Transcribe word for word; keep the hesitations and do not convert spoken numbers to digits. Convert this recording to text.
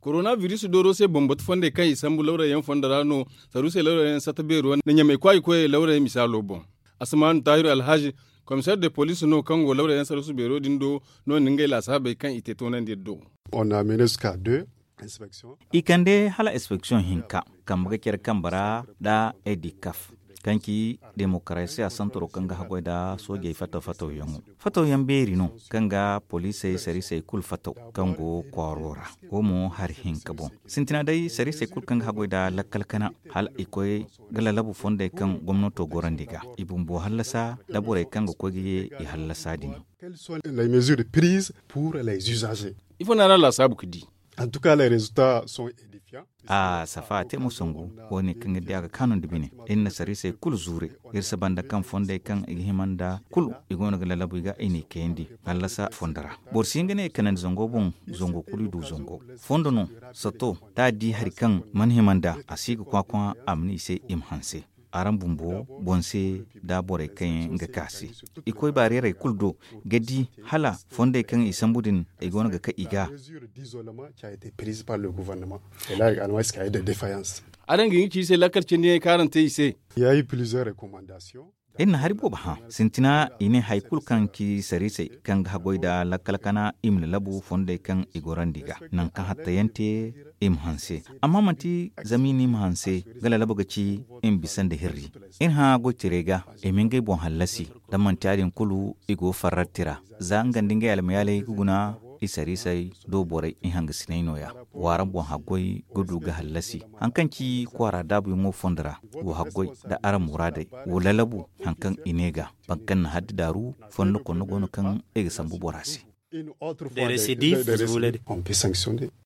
Korona biris dooro se bambatu fondey kaŋ i sambu lawrayyaŋ fondo ra no, saruusey lawrayyaŋ sata beero na ɲamay kwaayi koyey lawrayyaŋ misaalo boŋ. Asamaanu taahiru alhazi, komiseer de poliis no kaŋ go lawrayyaŋ saruusu beero din do, no- din ngey laasaabey kaŋ i te toonandi do. I kande hala inspeksiyoŋ hinka kambe ga care kambe ra nda edikaf, kaŋ ci demokarasiya santaro kaŋ ga haggoy nda soojey fattaw fattawyaŋo. Fattawyaŋ beeri no kaŋ ga poliisey sariisey kulu fattaw kaŋ go kwaaro ra. Wo mo hari hinka boŋ. Sintina day sariisey kulu kaŋ ga haggoy nda lakkal kana, hala i koy ga lalabu fondey kaŋ gomnato gorandi ga i bumbo hallasa nda borey kaŋ ga koy ga ye i hallasa din. Ifo no a ra laasaabu ga di? A safa a te mo sangu. Wo- ne kaŋ ga di a ga kaanu nda bine, iri na sariisey kulu zuure. Iri si banda kaŋ fondey kaŋ i ga hima nda kulu i go no ga lalabu i ga i n'i kayandi hallasa fondo ra. Boro si hin ga ne i kanandi zango boŋ. Zango kulu i du zango. Fondo no sato da a di hari kaŋ mana hima nda a si ga kwakwa a ma ne i se i ma hanse. Araŋ bumbo boŋ se nda borey kaŋ yaŋ ga ka se i koy baareerey kulu do ga di hala fondey kaŋ i sambu din i go no ga ka i ga. Araŋ ga hin ga ci i se lakkal cindi yaŋ kaŋ araŋ te i se. Iri na hari boobo hã sintina i ne hari kulu kaŋ ci sariisey kaŋ ga haggoy nda lakkal kana i ma lalabu fondey kaŋ i gorandi ga nangu kaŋ hattayaŋ te i ma hanse. Amma manti zama i ne i ma hanse ga lalabu ga ci i ma bisa nda hirri. Iri hã goytaray ga i ma ngey boŋ hallasi da manti ya- din kulu i go farrarti ra. Za nga nda ngey almayaaley ga guna i sariisey do borey i hangasiney no- ya. Wa araŋ boŋ haggoy ga du ga hallasi haŋ kaŋ ci kwaara daabuyaŋo fondo ra. Wa haggoy nda araŋ muraadey wa lalabu haŋ kaŋ i ne ga boro kaŋ na haddi daaru fondo konno go no kaŋ i ga sambu bora se. Des récidives.